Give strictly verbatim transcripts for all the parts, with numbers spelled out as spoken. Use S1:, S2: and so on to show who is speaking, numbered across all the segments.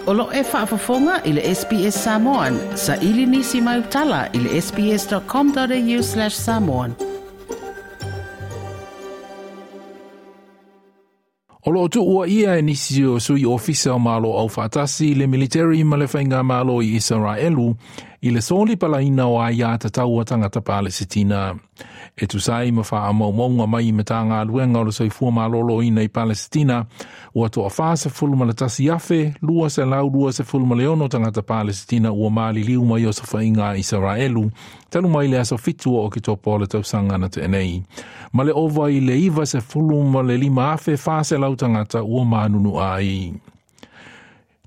S1: O lo e faafofoga i le S B S Samoan, sa ili nisi mai utala i le S B S dot com dot A U slash samoan.
S2: O loo tuua ia e nisi o sui ofisa o malo au faatasi le military ma le whainga malo i Israelu i le soli palaina o aia tatau a tangata Palesitina. E tusai ma wha maumauga mai me tā ngā luenga o le soifua malolo ina i Palesitina, ua toa whasa fulu ma le tasi afe, lua se lau lua se fulu ma le ono tangata Palesitina ua mali liu mai o sa Israelu, talu mai le aso fitu o ki topo le tausanga na te nei. Ma le ova i le iwa se fulu ma le lima afe wha se lau tangata ua manunu ai.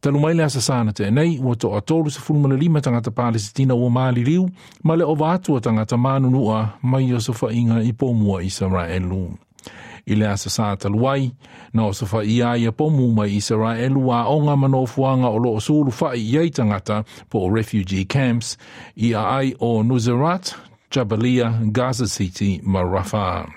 S2: Talu mai le asa sana te nei, ua toa tolu se fulu ma le lima tangata Palesitina ua mali liu, ma le ova atua tangata manunua mai o sofainga i pomua Israelu. I le asa sa taluai, na o sofa ia ia pomu mai Israelu a onga manofuanga o loo sulu fai i tangata po o refugee camps i a ai o Nuseirat, Jabalia, Gaza City ma Rafah.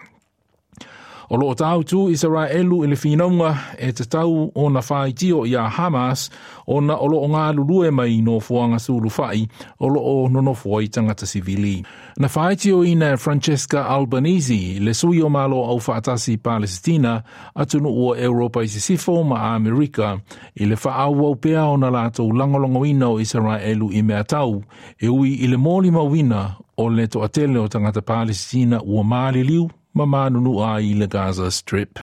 S2: O loo tau tu Israelu i le whinaunga e te tau o na whaitio i a Hamas o na o loo ngā lulue mai no fuanga sulu whai o loo nonofua i tangata sivili. Na whaitio ina Francesca Albanese le sui o malo au whaatasi Palestina atunu ua Europa i sisifo ma Amerika i le whaau au pea o na lātou langolongoina o Israelu i mea tau e ui i le moli mawina o le toatele o tangata Palestina ua mali liu ma manunu ai le Gaza Strip.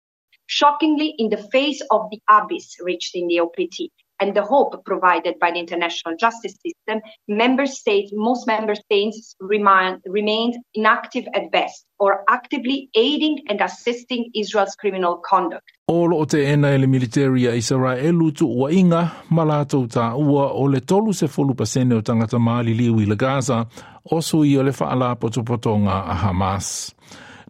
S3: Shockingly, in the face of the abyss reached in the O P T and the hope provided by the international justice system, member states, most member states remain, remained inactive at best or actively aiding and assisting Israel's criminal conduct.
S2: O lo te ena ele military a Israelu tu ua inga ma lātou tā ua o le tolu se folu pasene o tangata mali liu i le Gaza o sui o le whaala potopotonga a Hamas.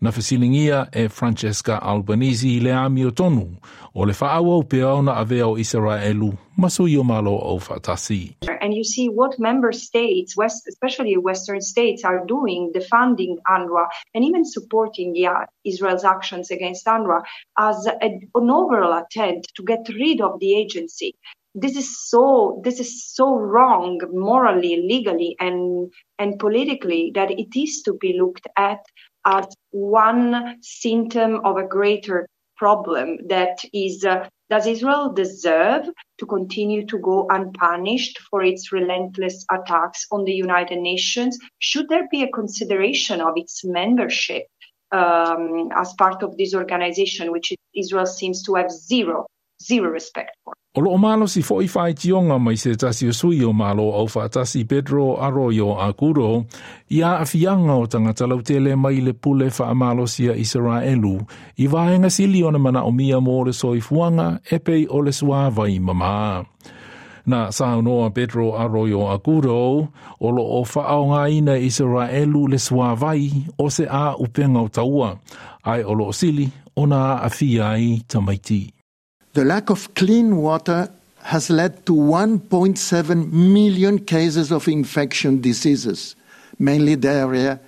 S2: Na fesilingia e Francesca Albanese le ami o tonu o le whaau pea o na avea o Israelu ma sui o malo o whaatasi.
S3: And you see what member states, West, especially Western states, are doing, defunding UNRWA and even supporting the, uh, Israel's actions against UNRWA as a, an overall attempt to get rid of the agency. This is so this is so wrong morally, legally, and and politically that it is to be looked at as one symptom of a greater problem that is uh, does Israel deserve to continue to go unpunished for its relentless attacks on the United Nations? Should there be a consideration of its membership um, as part of this organization, which Israel seems to have zero, zero respect for?
S2: O loo malo si foi whai tionga mai se tasi o sui o malo au whaatasi Pedro Arroyo Agudo i a afianga o tangata lautele mai le pule wha malo sia Israelu i vaenga sili o na mana o mia mō le soifuanga e pei o le suāwai mama. Na saunoa Pedro Arroyo Agudo o lo o whaao ina Israelu le suāwai o se a upenga o taua ai o lo sili o na afia ai tamaiti.
S4: The lack of clean water has led to one point seven million cases of infection diseases, mainly diarrhea,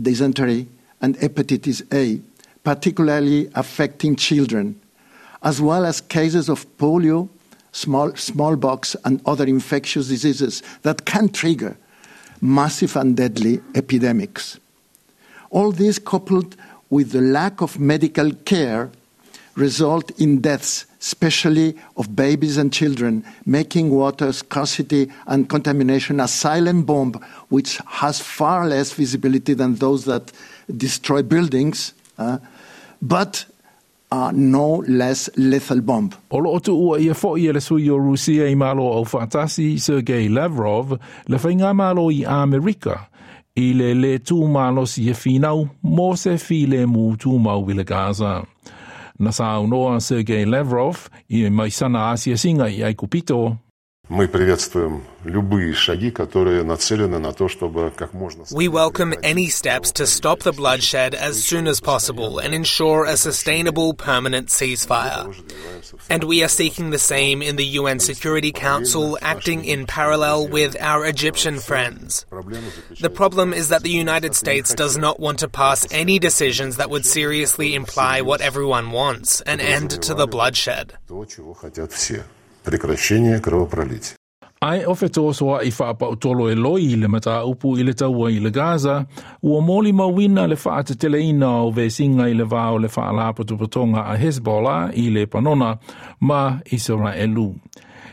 S4: dysentery, and hepatitis A, particularly affecting children, as well as cases of polio, small, smallpox, and other infectious diseases that can trigger massive and deadly epidemics. All this, coupled with the lack of medical care, result in deaths, especially of babies and children, making water scarcity and contamination a silent bomb which has far less visibility than those that destroy buildings, uh, but are no less lethal bomb.
S2: O loo tu ua ia fo ia le sui o Rusia i malo au whaatasi Sergei Lavrov le whainga malo i Amerika i le le tū malo si e whinau mō se file mu tū mau i le Gaza. Na saunoa Sergei Lavrov i mai sana asia singa i Aikupito.
S5: Мы приветствуем любые шаги, которые нацелены на то, чтобы как можно
S6: We welcome any steps to stop the bloodshed as soon as possible and ensure a sustainable permanent ceasefire. And we are seeking the same in the U N Security Council, acting in parallel with our Egyptian friends. The problem is that the United States does not want to pass any decisions that would seriously imply what everyone wants, an end to the bloodshed.
S5: То, чего хотят все. прекращения кровопролития.
S2: Ae o fetosoa'i faapautolo e loi i le mataupu i le taua i le Gaza, ua molimauina le faateteleina o vesiga i le va o le faalapotopotoga a Hezbollah i Lepanona ma Isaraelu.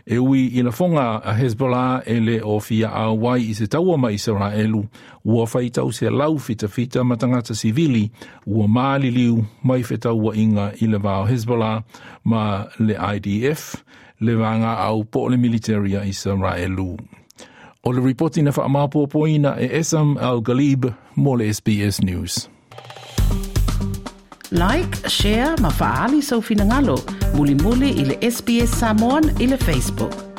S2: E ui i lafoga a Hezbollah e le o fia auai i se taua ma Isaraelu, ua faitau selau fitafita ma tagata sivili ua maliliu mai fetauaiga i le va o Hezbollah ma le I D F, le vaega au po o le military a Isaraelu. O le ripoti na faamaopoopoina e Esam Al Galib mo le S B S News.
S1: Like, share ma faaali sou finagalo. Mulimuli i le S B S Samoan i le Facebook.